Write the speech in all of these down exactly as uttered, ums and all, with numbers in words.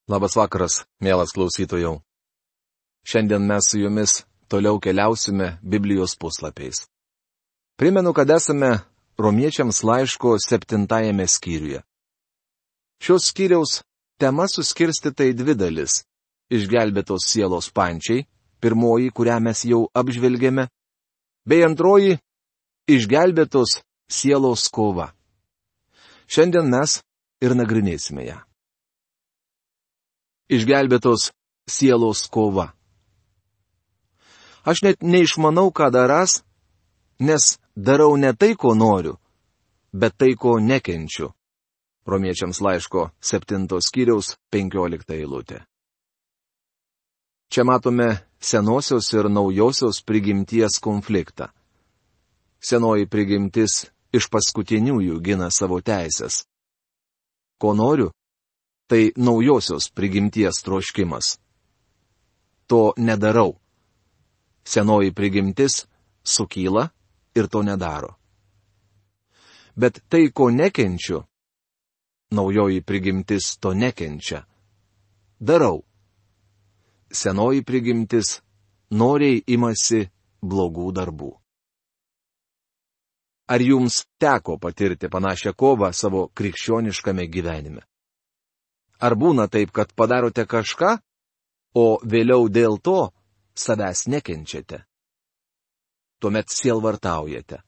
Labas vakaras, mielas klausytojau. Šiandien mes su jumis toliau keliausime Biblijos puslapiais. Primenu, kad esame Romiečiams laiško septintajame skyriuje. Šios skyriaus tema suskirstyta į dvi dalis. Išgelbėtos sielos pančiai, pirmoji, kurią mes jau apžvelgėme, bei antroji - išgelbėtos sielos kova. Šiandien mes ir nagrinėsime ją. Išgelbėtos sielos kova. Aš net neišmanau, ką darąs, nes darau ne tai, ko noriu, bet tai, ko nekenčiu. Romiečiams laiško septintos skyriaus penkiolikta eilutė. Čia matome senosios ir naujosios prigimties konfliktą. Senoji prigimtis iš paskutiniųjų gina savo teisės. Ko noriu? Tai naujosios prigimties troškimas. To nedarau. Senoji prigimtis sukyla ir to nedaro. Bet tai, ko nekenčiu, naujoji prigimtis to nekenčia. Darau. Senoji prigimtis noriai imasi blogų darbų. Ar jums teko patirti panašią kovą savo krikščioniškame gyvenime? Ar būna taip, kad padarote kažką, o vėliau dėl to savęs nekenčiate? Tuomet sielvartaujate.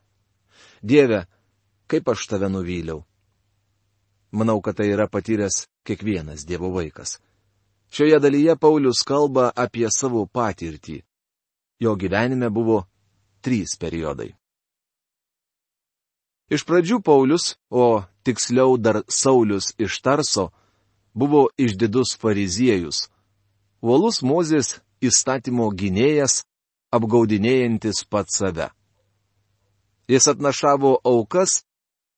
Dieve, kaip aš tave nuvyliau. Manau, kad tai yra patyręs kiekvienas Dievo vaikas. Šioje dalyje Paulius kalba apie savo patirtį. Jo gyvenime buvo trys periodai. Iš pradžių Paulius, o tiksliau dar Saulius iš Tarso, buvo išdidus fariziejus, uolus Mozės įstatymo gynėjas, apgaudinėjantis pats save. Jis atnašavo aukas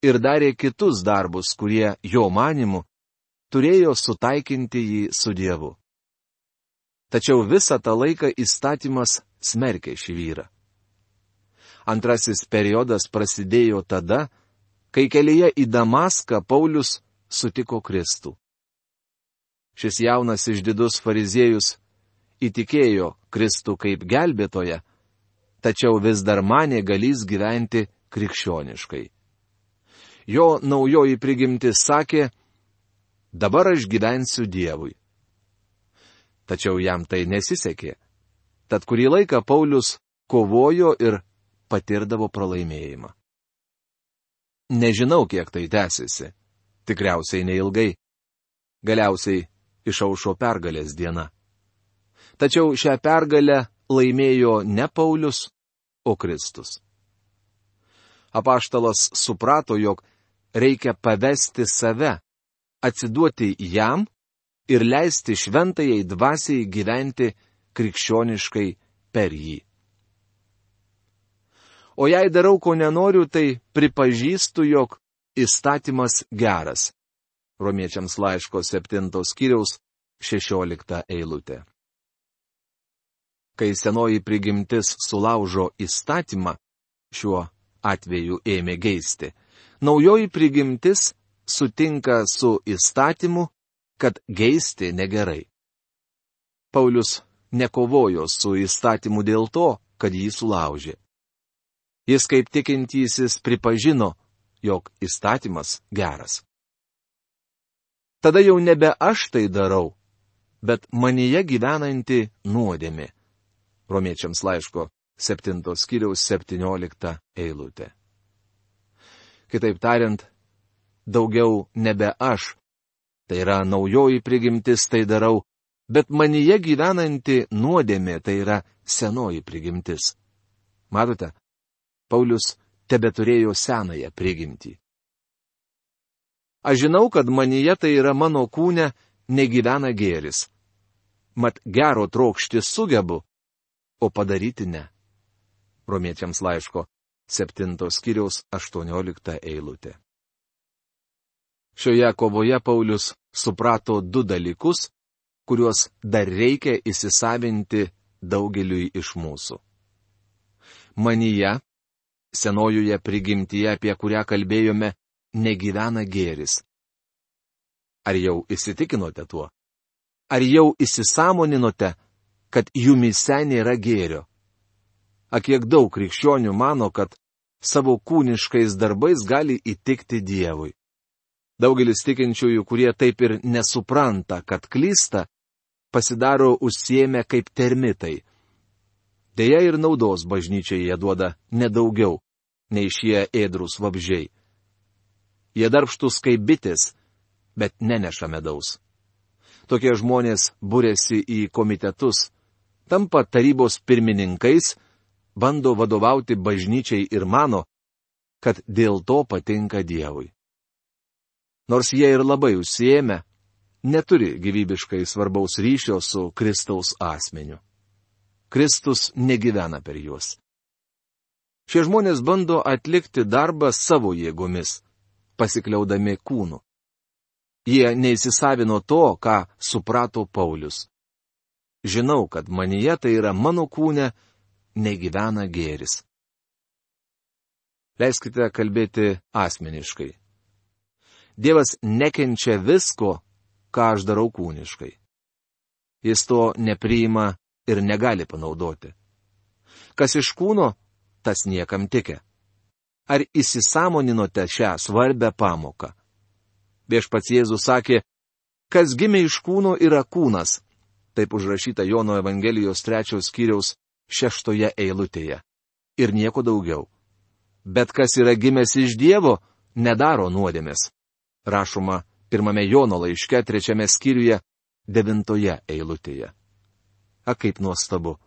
ir darė kitus darbus, kurie, jo manimu, turėjo sutaikinti jį su Dievu. Tačiau visą tą laiką įstatymas smerkė šį vyrą. Antrasis periodas prasidėjo tada, kai kelyje į Damaską Paulius sutiko Kristų. Šis jaunas išdidus fariziejus įtikėjo Kristų kaip gelbėtoją, tačiau vis dar manė galys gyventi krikščioniškai. Jo naujoji prigimtis sakė, dabar aš gyvensiu Dievui. Tačiau jam tai nesisekė. Tad kurį laiką Paulius kovojo ir patirdavo pralaimėjimą. Nežinau, kiek tai tęsiasi. Tikriausiai neilgai. Galiausiai išaušo pergalės diena. Tačiau šią pergalę laimėjo ne Paulius, o Kristus. Apaštalas suprato, jog reikia pavesti save, atsiduoti jam ir leisti šventajai dvasiai gyventi krikščioniškai per jį. O jei darau, ko nenoriu, tai pripažįstu, jog įstatymas geras. Romiečiams laiško septintos skyriaus šešiolikta eilutė. Kai senoji prigimtis sulaužo įstatymą, šiuo atveju ėmė geisti, naujoji prigimtis sutinka su įstatymu, kad geisti negerai. Paulius nekovojo su įstatymu dėl to, kad jį sulaužė. Jis kaip tikintysis pripažino, jog įstatymas geras. Tada jau nebe aš tai darau, bet manyje gyvenanti nuodėmė. Romiečiams laiško septintos skyriaus septyniolikta eilutė. Kitaip tariant, daugiau nebe aš, tai yra naujoji prigimtis tai darau, bet manyje gyvenanti nuodėmė tai yra senoji prigimtis. Matote, Paulius tebeturėjo senąją prigimtį. Aš žinau, kad manyje tai yra mano kūne negyvena gėris. Mat gero trokšti sugebu, o padaryti ne. Romiečiams laiško septintos skyriaus aštuoniolikta eilutė. Šioje kovoje Paulius suprato du dalykus, kuriuos dar reikia įsisavinti daugeliui iš mūsų. Manyje, senojoje prigimtyje, apie kurią kalbėjome, negyvena gėris. Ar jau įsitikinote tuo? Ar jau įsisamoninote, kad jumyse nėra gėrio? A kiek daug krikščionių mano, kad savo kūniškais darbais gali įtikti Dievui. Daugelis tikinčiųjų, kurie taip ir nesupranta, kad klysta, pasidaro užsiėmę kaip termitai. Deja ir naudos bažnyčiai jie duoda nedaugiau, nei šie ėdrūs vabzdžiai. Jie darbštus kaip bitės, bet neneša medaus. Tokie žmonės būrėsi į komitetus, tampa tarybos pirmininkais, bando vadovauti bažnyčiai ir mano, kad dėl to patinka Dievui. Nors jie ir labai užsiėmę, neturi gyvybiškai svarbaus ryšio su Kristaus asmeniu. Kristus negyvena per juos. Šie žmonės bando atlikti darbą savo jėgomis, pasikliaudami kūnu. Jie neįsisavino to, ką suprato Paulius. Žinau, kad manyje, tai yra mano kūne, negyvena gėris. Leiskite kalbėti asmeniškai. Dievas nekenčia visko, ką aš darau kūniškai. Jis to nepriima ir negali panaudoti. Kas iš kūno, tas niekam tikia. Ar įsisamoninote šią svarbę pamoką? Viešpats Jėzus sakė, kas gimė iš kūno yra kūnas. Taip užrašyta Jono Evangelijos trečios skyriaus šeštoje eilutėje. Ir nieko daugiau. Bet kas yra gimęs iš Dievo, nedaro nuodėmės. Rašoma pirmame Jono laiške trečiame skyriuje devintoje eilutėje. A kaip nuostabu.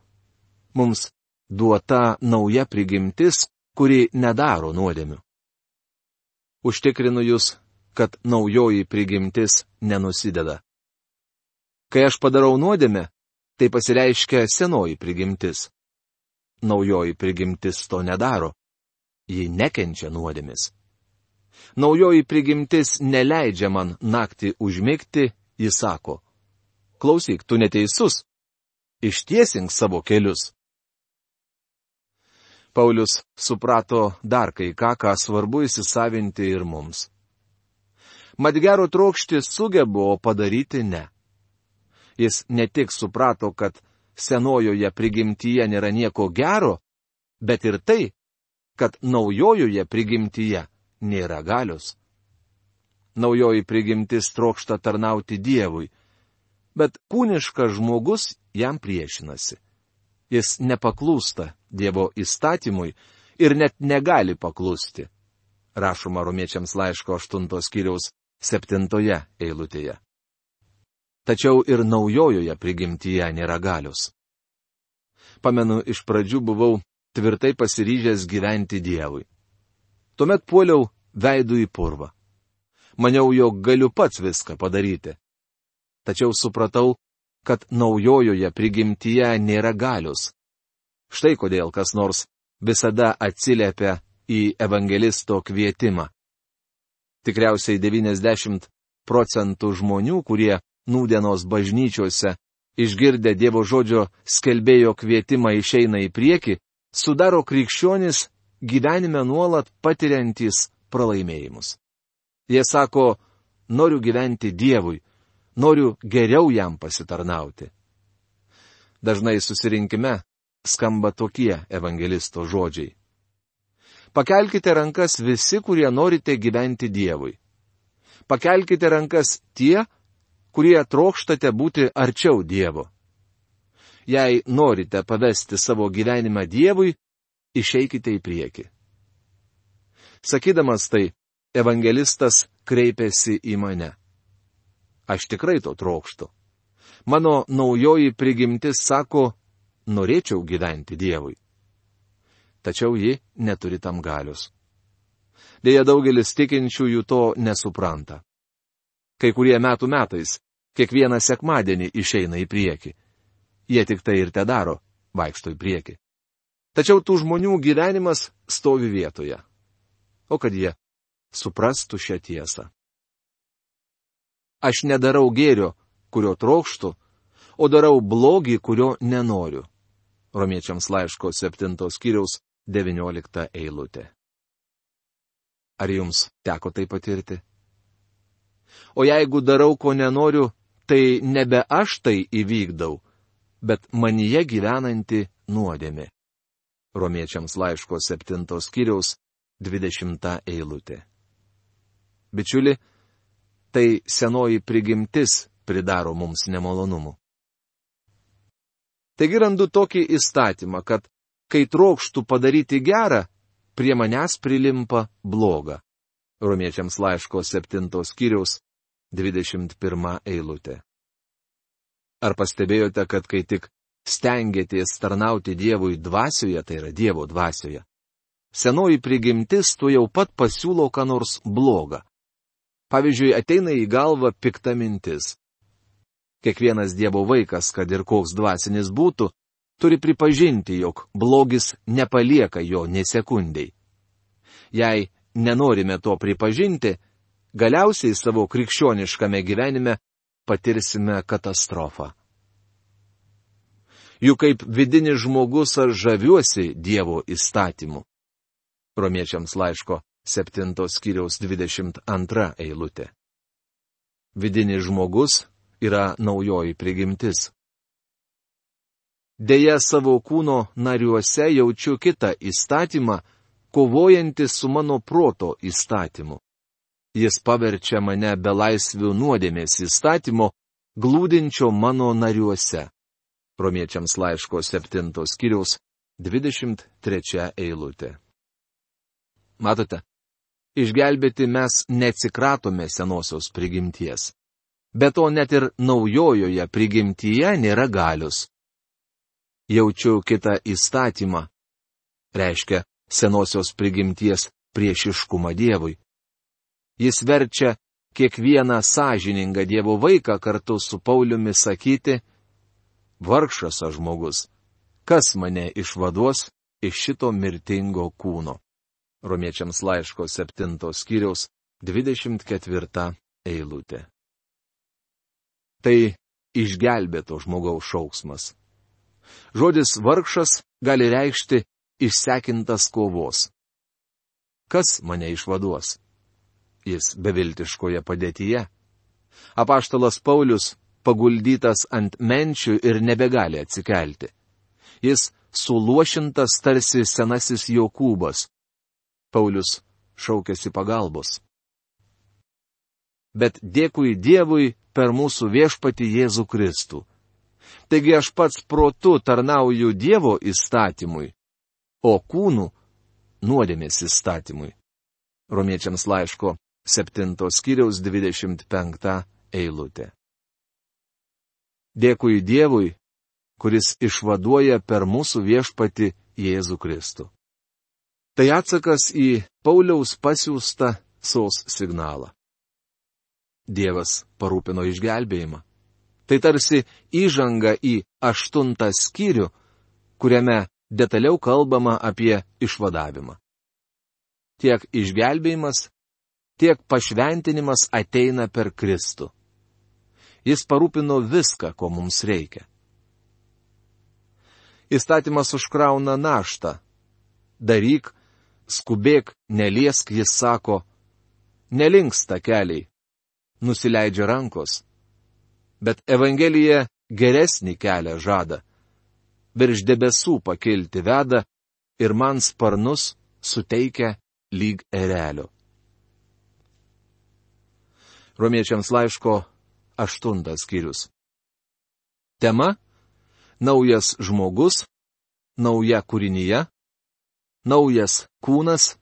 Mums duota nauja prigimtis, kuri nedaro nuodėmių. Užtikrinu jūs, kad naujoji prigimtis nenusideda. Kai aš padarau nuodėmę, tai pasireiškia senoji prigimtis. Naujoji prigimtis to nedaro. Ji nekenčia nuodėmės. Naujoji prigimtis neleidžia man naktį užmigti, jis sako, klausyk, tu neteisus, ištiesink savo kelius. Paulius suprato dar kai ką, ką svarbu įsisavinti ir mums. Mat gero trokšti sugebo, o padaryti ne. Jis ne tik suprato, kad senojoje prigimtyje nėra nieko gero, bet ir tai, kad naujojoje prigimtyje nėra galios. Naujoji prigimtis trokšta tarnauti Dievui, bet kūniškas žmogus jam priešinasi. Jis nepaklūsta Dievo įstatymui ir net negali paklusti. Rašoma Romiečiams laiško aštuntos skyriaus septintoje eilutėje. Tačiau ir naujojoje prigimtyje nėra galios. Pamenu, iš pradžių buvau tvirtai pasiryžęs gyventi Dievui. Tuomet puoliau veidu į purvą. Maniau, jog galiu pats viską padaryti. Tačiau supratau, kad naujojoje prigimtyje nėra galios. Štai kodėl kas nors visada atsiliepia į evangelisto kvietimą. Tikriausiai devyniasdešimt procentų žmonių, kurie nūdienos bažnyčiose, išgirdę Dievo žodžio skelbėjo kvietimą išeina į priekį, sudaro krikščionis gyvenime nuolat patiriantys pralaimėjimus. Jie sako, noriu gyventi Dievui, noriu geriau jam pasitarnauti. Dažnai susirinkime skamba tokie evangelisto žodžiai. Pakelkite rankas visi, kurie norite gyventi Dievui. Pakelkite rankas tie, kurie trokštate būti arčiau Dievo. Jei norite pavesti savo gyvenimą Dievui, išeikite į priekį. Sakydamas tai, evangelistas kreipėsi į mane. Aš tikrai to trokštu. Mano naujoji prigimtis sako, norėčiau gyventi Dievui. Tačiau ji neturi tam galios. Deja, daugelis tikinčiųjų to nesupranta. Kai kurie metų metais, kiekvieną sekmadienį išeina į priekį. Jie tik tai ir te daro, vaikšto į priekį. Tačiau tų žmonių gyvenimas stovi vietoje. O kad jie suprastų šią tiesą. Aš nedarau gėrio, kurio trokštu, o darau blogį, kurio nenoriu. Romiečiams laiško septintos skyriaus devyniolikta eilutė. Ar jums teko tai patirti? O jeigu darau, ko nenoriu, tai nebe aš tai įvykdau, bet manyje gyvenanti nuodėmė. Romiečiams laiško septintos skyriaus dvidešimta eilutė. Bičiuli, tai senoji prigimtis pridaro mums nemalonumų. Taigi randu tokį įstatymą, kad kai trokštų padaryti gerą, prie manęs prilimpa bloga. Romiečiams laiško septintos skyriaus dvidešimt pirma eilutė. Ar pastebėjote, kad kai tik stengiatės tarnauti Dievui dvasioje, tai yra Dievo dvasioje, senoji prigimtis tu jau pat pasiūlo ką nors blogą. Pavyzdžiui, ateina į galvą pikta mintis. Kiekvienas Dievo vaikas, kad ir koks dvasinis būtų, turi pripažinti, jog blogis nepalieka jo nė sekundei. Jei nenorime to pripažinti, galiausiai savo krikščioniškame gyvenime patirsime katastrofą. Juk kaip vidinis žmogus aš žaviuosi Dievo įstatymu. Romiečiams laiško septintos skyriaus dvidešimt antra eilutė. Vidinis žmogus yra naujoji prigimtis. Deja, savo kūno nariuose jaučiu kitą įstatymą, kovojantį su mano proto įstatymu. Jis paverčia mane belaisvių nuodėmės įstatymo, glūdinčio mano nariuose. Romiečiams laiško septintos skyriaus dvidešimt trečia eilutė. Matote, išgelbėti mes neatsikratome senosios prigimties. Be to net ir naujojoje prigimtyje nėra galios. Jaučiu kitą įstatymą. Reiškia senosios prigimties priešiškumą Dievui. Jis verčia kiekvieną sąžiningą Dievo vaiką kartu su Pauliumi sakyti: vargšas aš žmogus, kas mane išvaduos iš šito mirtingo kūno. Romiečiams laiško septintos skyriaus dvidešimt ketvirta eilutė. Tai išgelbėto žmogaus šauksmas. Žodis vargšas gali reikšti išsekintas kovos. Kas mane išvaduos? Jis beviltiškoje padėtyje. Apaštalas Paulius paguldytas ant menčių ir nebegali atsikelti. Jis suluošintas tarsi senasis Jokūbas. Paulius šaukėsi pagalbos. Bet dėkui Dievui per mūsų viešpatį Jėzų Kristų. Taigi aš pats protu tarnauju Dievo įstatymui, o kūnu nuodėmės įstatymui. Romiečiams laiško septintos skyriaus dvidešimt penkta eilutė. Dėkui Dievui, kuris išvaduoja per mūsų viešpatį Jėzų Kristų. Tai atsakas į Pauliaus pasiųstą sos signalą. Dievas parūpino išgelbėjimą. Tai tarsi įžanga į aštuntą skyrių, kuriame detaliau kalbama apie išvadavimą. Tiek išgelbėjimas, tiek pašventinimas ateina per Kristų. Jis parūpino viską, ko mums reikia. Įstatymas užkrauna naštą. Daryk, skubėk, neliesk, jis sako, nelinksta keliai, nusileidžia rankos. Bet Evangelija geresnį kelią žada. Virš debesų pakilti veda ir man sparnus suteikia lyg erelio. Romiečiams laiško aštuntas skyrius. Tema - naujas žmogus, nauja kūrinyje, naujas kūnas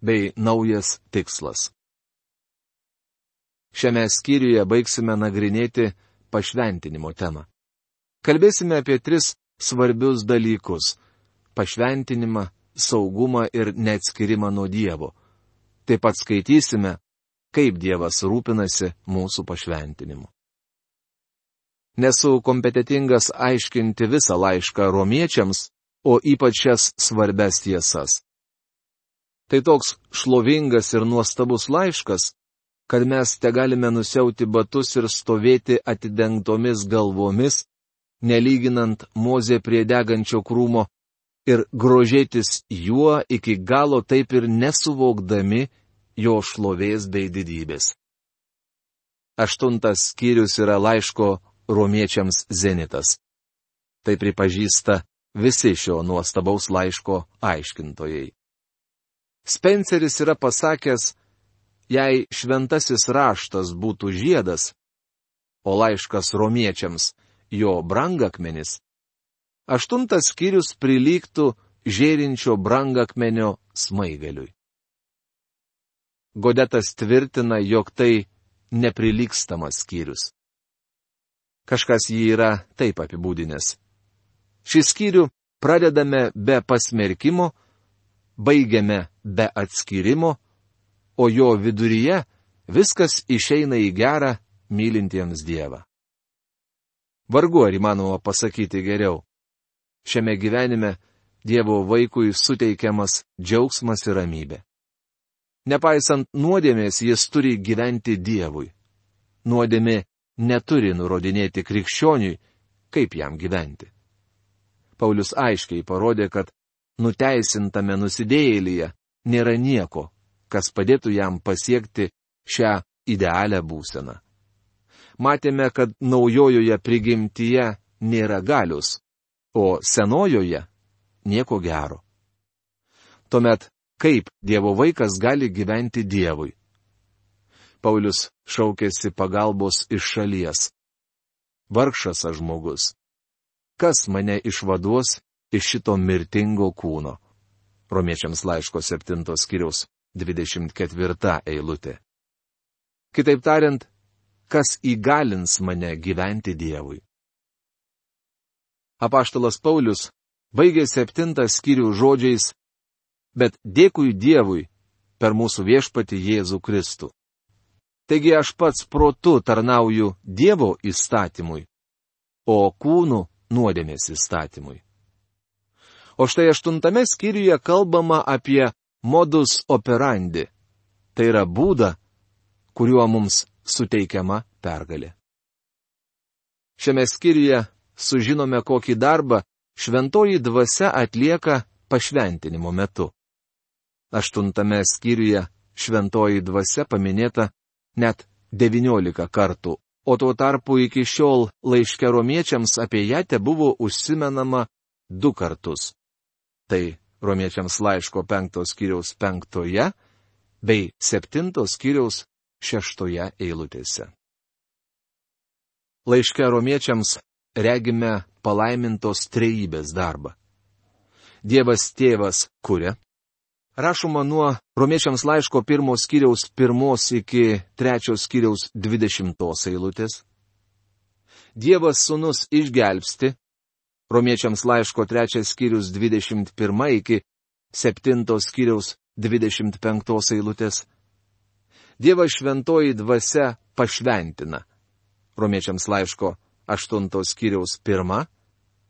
bei naujas tikslas. Šiame skyriuje baigsime nagrinėti pašventinimo temą. Kalbėsime apie tris svarbius dalykus - pašventinimą, saugumą ir neatskirimą nuo Dievo. Taip pat skaitysime, kaip Dievas rūpinasi mūsų pašventinimu. Nesu kompetitingas aiškinti visą laišką romiečiams, o ypač šias svarbias tiesas. Tai toks šlovingas ir nuostabus laiškas, kad mes te galime nusiauti batus ir stovėti atidengtomis galvomis, nelyginant Mozę prie degančio krūmo, ir grožėtis juo iki galo taip ir nesuvokdami jo šlovės bei didybės. Aštuntas skyrius yra laiško romiečiams zenitas. Tai pripažįsta visi šio nuostabaus laiško aiškintojai. Spenceris yra pasakęs, jei šventasis raštas būtų žiedas, o laiškas romiečiams jo brangakmenis, aštuntas skyrius prilygtų žėrinčio brangakmenio smaigaliui. Godetas tvirtina, jog tai neprilygstamas skyrius. Kažkas jį yra taip apibūdinęs. Šį skyrių pradedame be pasmerkimo, baigiame be atskyrimo, o jo viduryje viskas išeina į gerą mylintiems Dievą. Vargu ar įmanoma pasakyti geriau. Šiame gyvenime Dievo vaikui suteikiamas džiaugsmas ir ramybė. Nepaisant nuodėmės, jis turi gyventi Dievui. Nuodėmė neturi nurodinėti krikščioniui, kaip jam gyventi. Paulius aiškiai parodė, kad nuteisintame nusidėjėlyje nėra nieko, kas padėtų jam pasiekti šią idealią būseną. Matėme, kad naujojoje prigimtyje nėra galios, o senojoje nieko gero. Tuomet, kaip Dievo vaikas gali gyventi Dievui? Paulius šaukėsi pagalbos iš šalies. Vargšas aš žmogus. Kas mane išvaduos iš šito mirtingo kūno? Romiečiams laiško septintos skyriaus dvidešimt ketvirta eilutė. Kitaip tariant, kas įgalins mane gyventi Dievui? Apaštalas Paulius baigė septintą skyrių žodžiais: bet dėkui Dievui per mūsų viešpatį Jėzų Kristų. Taigi aš pats protu tarnauju Dievo įstatymui, o kūnu nuodėmės įstatymui. O štai aštuntame skyriuje kalbama apie modus operandi. Tai yra būdą, kuriuo mums suteikiama pergalė. Šiame skyriuje sužinome, kokį darbą šventoji dvasia atlieka pašventinimo metu. Aštuntame skyriuje šventoji dvasia paminėta net devyniolika kartų, o tuo tarpu iki šiol laiške romiečiams apie ją tebuvo užsimenama du kartus. Tai romiečiams laiško penktos skyriaus penktoje bei septintos skyriaus šeštoje eilutėse. Laiške romiečiams regime palaimintos trejybės darbą. Dievas tėvas kuria. Rašoma nuo romiečiams laiško pirmos skyriaus pirmos iki trečios skyriaus dvidešimtos eilutės. Dievas sūnus išgelbsti. Romiečiams laiško trečias skyrius dvidešimt pirma iki septintos skyriaus dvidešimt penktos eilutės. Dievas šventoji dvasia pašventina. Romiečiams laiško aštuntos skyriaus pirma,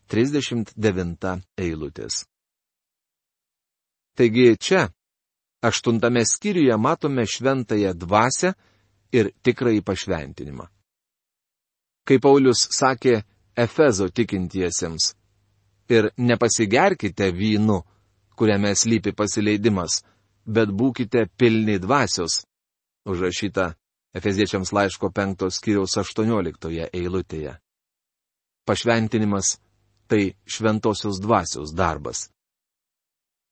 trisdešimt devinta eilutės. Taigi čia, aštuntame skyriuje matome šventąją dvasią ir tikrąjį pašventinimą. Kaip Paulius sakė Efezo tikintiesiems: ir nepasigerkite vynu, kuriame slypi pasileidimas, bet būkite pilni dvasios, užrašyta Efeziečiams laiško penktos skyriaus aštuonioliktoje eilutėje. Pašventinimas – tai šventosios dvasios darbas.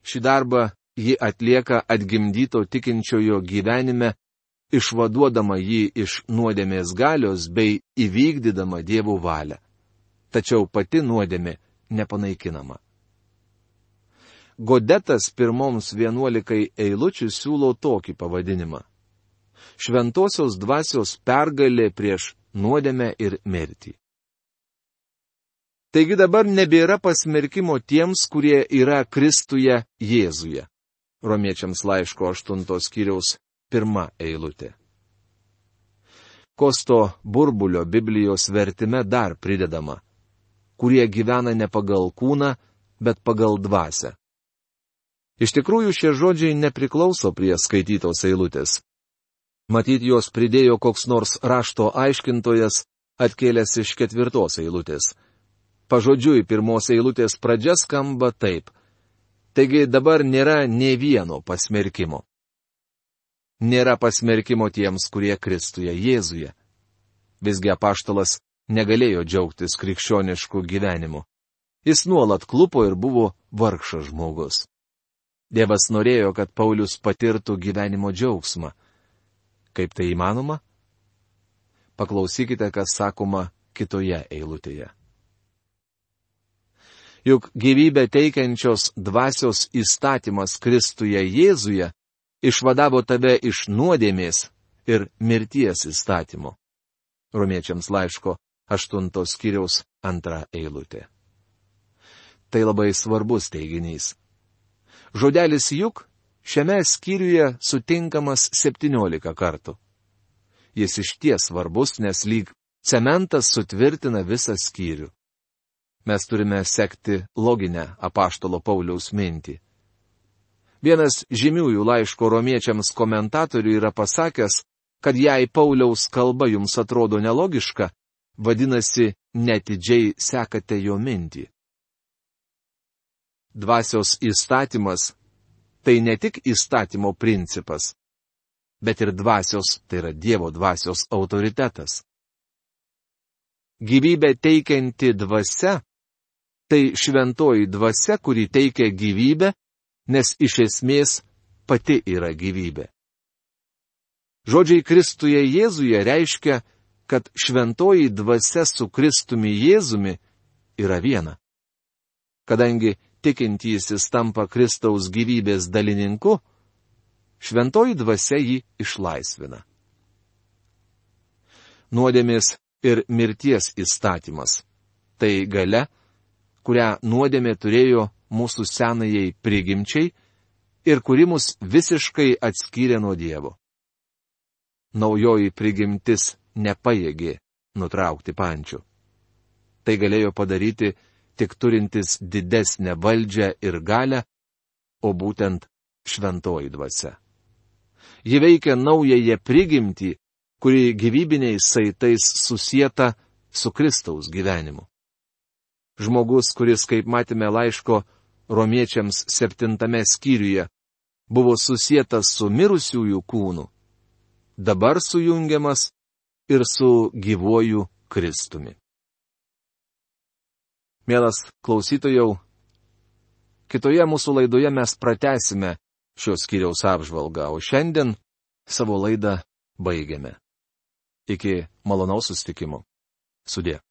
Šį darbą ji atlieka atgimdyto tikinčiojo gyvenime, išvaduodama jį iš nuodėmės galios bei įvykdydama Dievo valią. Tačiau pati nuodėmė nepanaikinama. Godetas pirmoms vienuolikai eilučių siūlo tokį pavadinimą: Šventosios dvasios pergalė prieš nuodėmę ir mirtį. Taigi dabar nebėra pasmerkimo tiems, kurie yra Kristuje Jėzuje. Romiečiams laiško aštuntos skyriaus pirma eilutė. Kosto Burbulio Biblijos vertime dar pridedama: kurie gyvena ne pagal kūną, bet pagal dvasią. Iš tikrųjų, šie žodžiai nepriklauso prie skaitytos eilutės. Matyt, jos pridėjo koks nors rašto aiškintojas, atkėlęs iš ketvirtos eilutės. Pažodžiui, pirmos eilutės pradžia skamba taip: taigi dabar nėra nė vieno pasmerkimo. Nėra pasmerkimo tiems, kurie Kristuje Jėzuje. Visgi apaštalas negalėjo džiaugtis krikščionišku gyvenimu. Jis nuolat klupo ir buvo vargšas žmogus. Dievas norėjo, kad Paulius patirtų gyvenimo džiaugsmą. Kaip tai įmanoma? Paklausykite, kas sakoma kitoje eilutėje. Juk gyvybę teikiančios dvasios įstatymas Kristuje Jėzuje išvadavo tave iš nuodėmės ir mirties įstatymo. Romiečiams laiško aštuntos skyriaus antra eilutė. Tai labai svarbus teiginys. Žodelis juk šiame skyriuje sutinkamas septyniolika kartų. Jis išties svarbus, nes lyg cementas sutvirtina visą skyrių. Mes turime sekti loginę apaštalo Pauliaus mintį. Vienas žymiųjų laiško romiečiams komentatorių yra pasakęs, kad jei Pauliaus kalba jums atrodo nelogiška, vadinasi, netidžiai sekate jo mintį. Dvasios įstatymas – tai ne tik įstatymo principas, bet ir dvasios, tai yra Dievo dvasios autoritetas. Gyvybę teikianti dvasia – tai šventoji dvasia, kuri teikia gyvybę, nes iš esmės pati yra gyvybė. Žodžiai Kristuje Jėzuje reiškia, kad šventoji dvasia su Kristumi Jėzumi yra viena. Kadangi tikintysis tampa Kristaus gyvybės dalininku, šventoji dvasia jį išlaisvina. Nuodėmės ir mirties įstatymas – tai galia, kurią nuodėmė turėjo mūsų senajai prigimčiai ir kuri mus visiškai atskyrė nuo Dievo. Naujoji prigimtis nepajėgė nutraukti pančių. Tai galėjo padaryti tik turintis didesnę valdžią ir galią, o būtent šventoji dvasia. Ji veikia naująją prigimtį, kuri gyvybiniais saitais susieta su Kristaus gyvenimu. Žmogus, kuris, kaip matėme laiško romiečiams septintame skyriuje, buvo susietas su mirusiųjų kūnu, dabar sujungiamas ir su gyvuoju Kristumi. Mielas klausytojau, kitoje mūsų laidoje mes pratęsime šios skyriaus apžvalgą, o šiandien savo laidą baigiame. Iki malonaus susitikimo. Sudie.